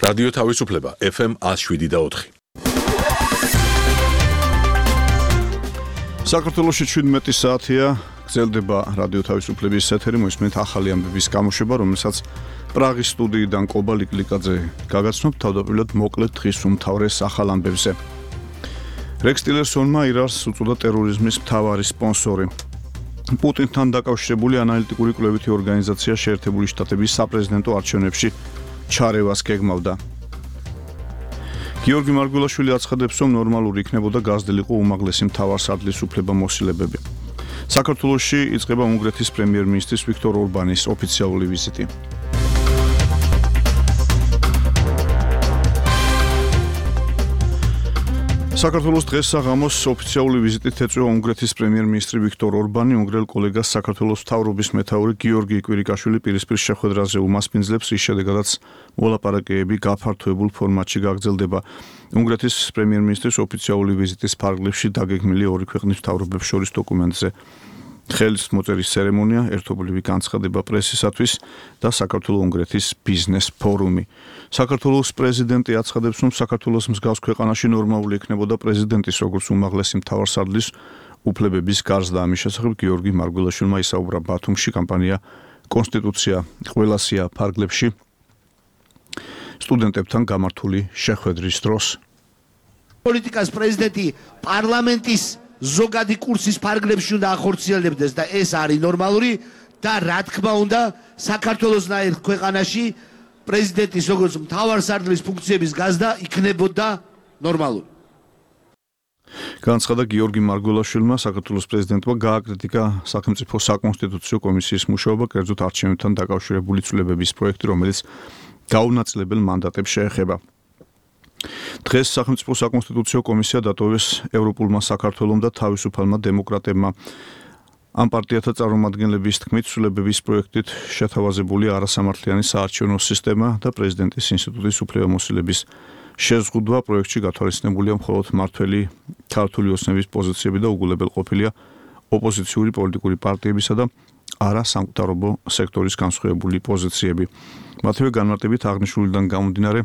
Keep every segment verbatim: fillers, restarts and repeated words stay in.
რადიო თავისუფლება ეფ ემ one oh seven და four. საქართველოში შვიდმეტი საათია, გრძელდება რადიო თავისუფლების ეთერი, მოისმენთ ახალი ამბების გამოშვება, რომელსაც პრაღის სტუდიიდან კობა ლიკლიკაძე გაგაცნობთ, თავდაპირველად მოკლედ დღის უმთავრეს ახალ ამბებზე. რექს ტილერსონმა ირანს უწოდა ტერორიზმის მთავარი სპონსორი. პუტინთან დაკავშირებული ანალიტიკური კვლევითი ორგანიზაცია შეერთებული შტატების საპრეზიდენტო არჩევნებში ჩარევას გეგმავდა. გიორგი მარგველაშვილი აცხადებს, რომ ნორმალური იქნებოდა გაზრდილიყო უმაღლესი მთავარსარდლის უფლებამოსილებები. საქართველოში იწყება უნგრეთის პრემიერ-მინისტრის ვიქტორ ორბანის ოფიციალური ვიზიტი. საქართველოს დღეს საღამოს ოფიციალური ვიზიტით ეწვევა უნგრეთის პრემიერ-მინისტრი ვიქტორ ორბანი, უნგრელ კოლეგას საქართველოს მთავრობის მეთაური გიორგი კვირიკაშვილი პირისპირ შეხვედრაზე უმასპინძლებს, რის შედეგადაც მოლაპარაკებები გაფართოებულ ფორმატში გაგრძელდება. უნგრეთის პრემიერ-მინისტრის ოფიციალური ვიზიტის ფარგლებში დაგეგმილი ორი ქვეყნის მთავრობებს შორის დოკუმენტზე ხელმოწერის ცერემონია, ერთობლივი განცხადება პრესისათვის და საქართველო-უნგრეთის ბიზნეს ფორუმი. საქართველოს პრეზიდენტი აცხადებს, რომ საქართველოს მსგავს ქვეყანაში ნორმალური იქნებოდა პრეზიდენტის როგორც უმაღლესი მთავარსარდლის უფლებების გარსდა. ამის შესახებ გიორგი მარგველაშვილმა ისაუბრა ბათუმში კამპანია კონსტიტუცია ყველასია ფარგლებში სტუდენტებთან გამართული შეხვედრის დროს. პოლიტიკას პრეზიდენტი პარლამენტის ზოგადი კურსის ფარგლებში უნდა ახორციელებდეს და ეს არის ნორმალური და რა თქმა უნდა საქართველოსნაირ ქვეყანაში პრეზიდენტის როგორც მთავარსარდლის ფუნქციების გაზრდა იქნებოდა ნორმალური. განცხადა გიორგი მარგველაშვილმა, საქართველოს პრეზიდენტმა გააკრიტიკა სახელმწიფო საკონსტიტუციო კომისიის მუშაობა, კერძოდ არჩევნებთან დაკავშირებული ცვლილებების პროექტი, რომელიც გაუნაწილებელ მანდატებს შეეხება. დღეს სახელმწიფო საკონსტიტუციო კომისია დატოვეს ევროპულმა საქართველომ და თავისუფალმა დემოკრატებმა. ამ პარტიათა წარმომადგენლების თქმით, ცვლილებების პროექტით შეთავაზებული არასამართლიანი საარჩევნო სისტემა და პრეზიდენტის ინსტიტუტის უფლებამოსილების შეზღუდვა პროექტში გათვალისწინებულია მხოლოდ მართველი ქართული ოცნების პოზიციები და უგულებელყოფილია ოპოზიციური პოლიტიკური პარტიებისა და არასამყარობო სექტორის განსხვავებული პოზიციები. მათივე განმარტებით აღნიშნულიდან გამომდინარე,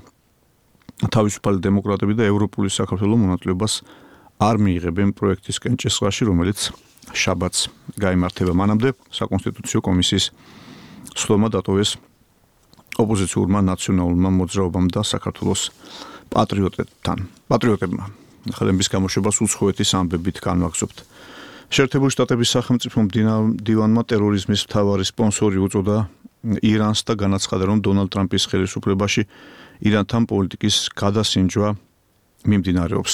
თავისუფალი დემოკრატები და ევროპული საქართველო მონაწილეობას არ მიიღებენ პროექტის კენჭისყრაში, რომელიც შაბათს გაიმართება. მანამდე საკონსტიტუციო კომისიის სხდომა დატოვეს ოპოზიციურმა ნაციონალურმა მოძრაობამ და საქართველოს პატრიოტებთან. პატრიოტებმა ხელების გამოშვებას უცხოეთის ამბებით განვაგზობთ. შეერთებული შტატების სახელმწიფო მდივანმა ტერორიზმის მთავარი სპონსორი უწოდა ირანს და განაცხადა, რომ დონალდ ტრამპის ხელისუფლებაში ირანთან პოლიტიკის გადასინჯვა მიმდინარეობს.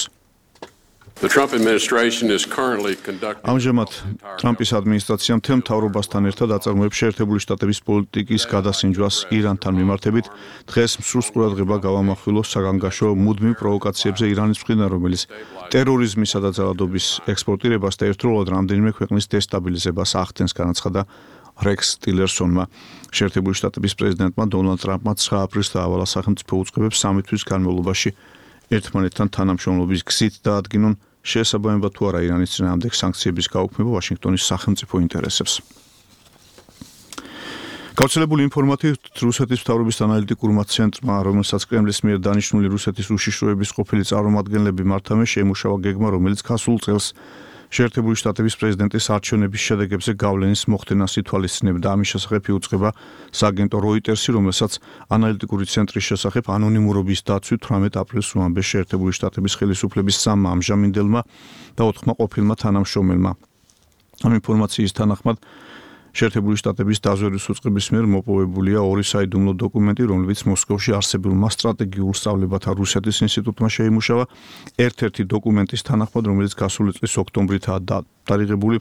ამჟამად ტრამპის ადმინისტრაცია მთელ მთავრობასთან ერთად აწარმოებს შეერთებული შტატების პოლიტიკის გადასინჯვას ირანთან მიმართებით. დღეს მსურს ყურადღება გავამახვილოს საგანგაშო მუდმივ პროვოკაციებზე ირანის მხრიდან, რომელიც ტერორიზმისა და ძალადობის ექსპორტირებას და ერთდროულად რამდენიმე ქვეყნის დესტაბილიზებას ახდენს, განაცხადა რექს ტილერსონმა. შეერთებული შტატების პრეზიდენტმა დონალდ ტრამპმა ცხრა აპრილს დაავალა სახელმწიფო უწყებებს სამი თვის განმავლობაში ერთმანეთთან თანამშრომლობის გზით დაადგინონ შეესაბამება თუ არა ირანის წინააღმდეგ სანქციების გაუქმება ვაშინგტონის სახელმწიფო ინტერესებს. გავრცელებული ინფორმაციით რუსეთის მთავრობის ანალიტიკურმა ცენტრმა, რომელსაც კრემლის მიერ დანიშნული რუსეთის უშიშროების ყოფილი წარმომადგენლები მართავენ, შეიმუშავა გეგმა, რომელიც გასულ წელს შეერთებული შტატების პრეზიდენტის არჩევნების შედეგებზე გავლენის მოხდენას ითვალისწინებდა. ამის შესახებ იუწყება სააგენტო როიტერსი, რომელსაც ანალიტიკური ცენტრის შესახებ ანონიმურობის დაცვით თვრამეტ აპრილს უამბეს შეერთებული შტატების ხელისუფლების სამმა ამჟამინდელმა და ოთხმა ყოფილმა თანამშრომელმა. ამ ინფორმაციის თანახმად შეერთებული შტატების დაზვერვის უწყების მიერ მოპოვებულია ორი საიდუმლო დოკუმენტი, რომლებიც მოსკოვში არსებულმა სტრატეგიულ სწავლებათა რუსეთის ინსტიტუტმა შეიმუშავა. ერთ-ერთი დოკუმენტის თანახმად, რომელიც გასული წლის ოქტომბრითაა დადარიგებული,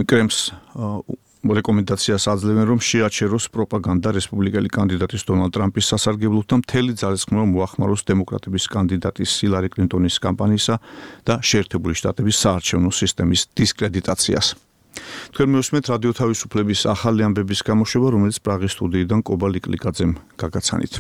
კრემლს რეკომენდაციას აძლევენ, რომ შეაჩეროს პროპაგანდა რესპუბლიკელი კანდიდატის დონალდ ტრამპის სასარგებლოდ და მთელი ძალისხმევა მოახმაროს დემოკრატების კანდიდატის ჰილარი კლინტონის კამპანიისა და შეერთებული შტატების საარჩევნო სისტემის დისკრედიტაციას. თქვენ მივსმენთ რადიო თავისუფლების ახალი ამბების გამოშვება, რომელიც პრაღის სტუდიიდან კობა ლიკლიკაძემ გაგაცანით.